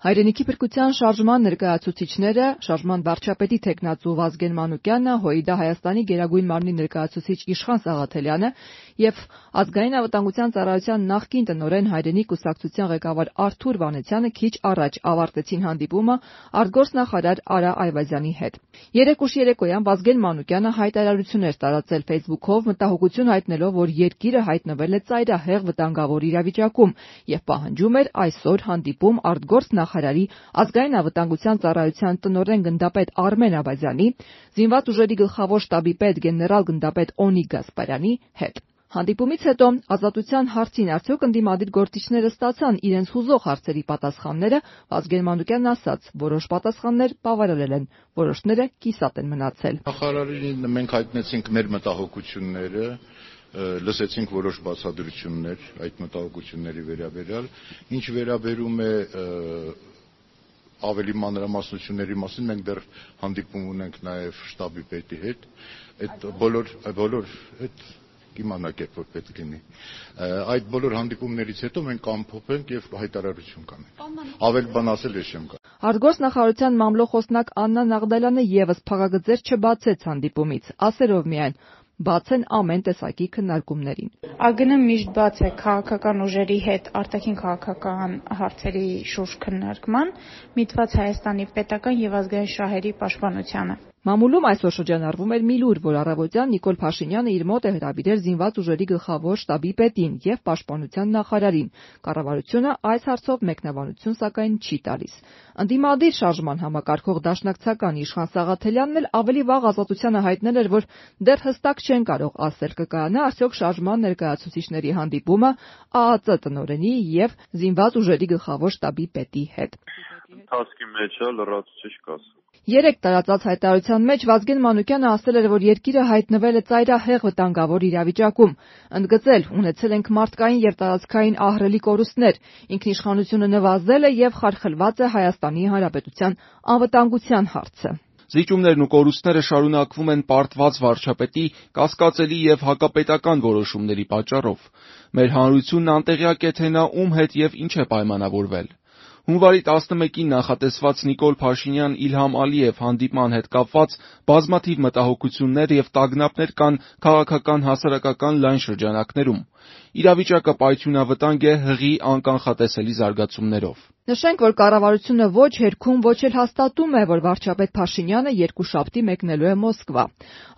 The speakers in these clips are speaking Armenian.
Հայրենիքի փրկության շարժման ներկայացուցիչները, շարժման վարչապետի թեկնածու Վազգեն Մանուկյանը, ՀՅԴ Հայաստանի Գերագույն մարմնի ներկայացուցիչ Իշխան Սաղաթելյանը եւ Ազգային անվտանգության ծառայության նախկին տնօրեն Հայրենիք կուսակցության ղեկավար Արթուր Վանեցյանը քիչ առաջ ավարտեցին հանդիպումը արտգործնախարար Արա Այվազյանի հետ։ Երեկ ուշ երեկոյան Վազգեն Մանուկյանը հայտարարություն էր տարածել Facebook-ով, մտահոգություն հայտնելով, որ երկիրը հայտնվել է ծայրահեղ վտանգավոր իրավիճակում եւ պահանջում էր այսօր հանդիպում արտգործնախարարի Ազգային անվտանգության ծառայության տնօրեն գնդապետ Արմեն Աբազյանի, զինված ուժերի գլխավոր շտաբի պետ գեներալ գնդապետ Օնիկ Գասպարյանի հետ։ Հանդիպումից հետո Ազատության հարցին արդյոք ընդդիմադիր գործիչները ստացան իրենց հուզող հարցերի պատասխանները, Վազգեն Մանուկյանն ասաց, որոշ պատասխաններ բավարարել են, որոշները կիսատ են մնացել։ Նախարարին մենք հայտնեցինք մեր մտահոգությունները, լսեցինք որոշ բացատրություններ այդ մտահոգությունների վերաբերյալ, ինչ վերաբերում է ավելի մանրամասնությունների մասին մենք դեռ հանդիպում ունենք նաև շտաբի պետի հետ, այդ բոլոր կիմանաք երբ որ պետք լինի։ Այդ բոլոր հանդիպումներից հետո մենք կամփոփենք եւ հայտարարություն կանենք։ Ավել բան ասել ես չեմ կարող։ Արտգործնախարարության մամլոխոսնակ Աննա Նաղդալյանը եւս փակագծեր չբացեց հանդիպումից, ասելով միայն բաց են ամեն տեսակի քննարկումներին։ ԱԳՆ միշտ բաց է քաղաքական ուժերի հետ արտաքին քաղաքական հարցերի շուրջ քննարկման, միտված Հայաստանի պետական եւ ազգային շահերի պաշտպանությանը։ Մամուլում այսօր շրջանառվում էր մի լուր, որ առավոտյան Նիկոլ Փաշինյանը իր մոտ է հրավիրել զինված ուժերի գլխավոր շտաբի պետին եւ պաշտպանության նախարարին։ Կառավարությունը այս հարցով մեկնաբանություն սակայն չի տալիս։ Ընդդիմադիր շարժման համակարգող դաշնակցական Իշխան Սաղաթելյանն էլ ավելի վաղ Ազատությանը հայտնել էր, որ դեռ հստակ չեն կարող ասել կկայանա արդյոք շարժման ներկայացուցիչների հանդիպումը ԱԱԾ տնօրենի եւ զինված ուժերի գլխավոր շտաբի պետի հետ։ Ընթացքի մեջ լրացուցիչ կասեմ։ Երեք տարածած հայտարարության մեջ Վազգեն Մանուկյանը ասել էր, որ երկիրը հայտնվել է ծայրահեղ վտանգավոր իրավիճակում, ընդգծել ունեցել ենք մարդկային եւ տարածքային ահռելի կորուստներ, ինքնիշխանությունը նվազել է եւ խարխլված է Հայաստանի Հանրապետության անվտանգության հարցը։ Զիջումներն ու կորուստները շարունակվում են պարտված վարչապետի կասկածելի եւ հակապետական որոշումների պատճառով։ Մեր հանրությունն անտեղյակ է, թե նա ում հետ եւ ինչ է պայմանավորվել։ Հունվարի 11-ին նախատեսված Նիկոլ Փաշինյան-Իլհամ Ալիև հանդիպման հետ կապված բազմաթիվ մտահոգություններ եւ տագնապներ կան քաղաքական հասարակական լայն շրջանակներում։ Իրավիճակը պայթյունավտանգ է հղի անկանխատեսելի զարգացումներով։ Նշենք, որ կառավարությունը ոչ հերքում, ոչ էլ հաստատում է, որ վարչապետ Փաշինյանը երկուշաբթի մեկնելու է Մոսկվա։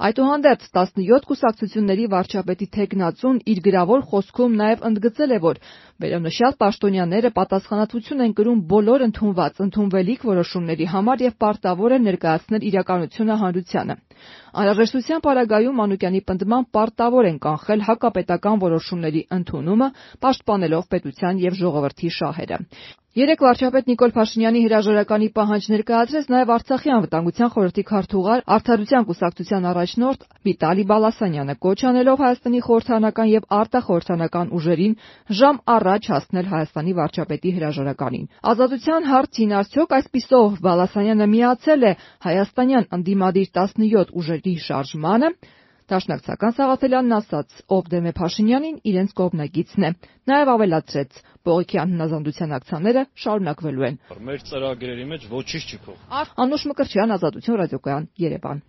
Այդուհանդերձ 17 կուսակցությունների վարչապետի թեկնածուն իր գրավոր խոսքում նաև ընդգծել է, որ վերոնշյալ պաշտոնյաները պատասխանատվություն են կրում բոլոր ընդունվելիք որոշումների համար եւ պարտավոր են ներկայացնել իրականությունը հանրությանը։ Անհրաժեշտության պարագայում Մանուկյանի պնդմամբ պարտավոր են կանխել հակապետական որոշումների ընդունումը, պաշտպանելով պետության եւ ժողովրդի շահերը։ Երեք վարչապետ Նիկոլ Փաշինյանի հրաժարականի պահանջ ներկայացրեց նաև Արցախի անվտանգության խորհրդի քարտուղար Արդարության կուսակցության առաջնորդ Վիտալի Բալասանյանը, կոչ անելով Հայաստանի խորհրդարանական եւ արտախորհրդարանական ուժերին ժամ առաջ հասնել Հայաստանի վարչապետի հրաժարականին։ Ազատության հարցին արդյոք այսպիսով Բալասանյանը միացել է հայաստանյան ընդդիմադիր 17 ուժերի շարժմանը։ Դաշնակցական Սաղաթելյանն ասաց, ով դեմ է Փաշինյանին, իրենց կողմնակիցն է։ Նաև ավելացրեց, բողոքյան հնազանդության ակցիաները շարունակվելու են։ Մեր ծրագրերի մեջ ոչինչ չի փոխվում։ Անուշ Մկրտչյան, Ազատություն ռադիոկայան, Երևան։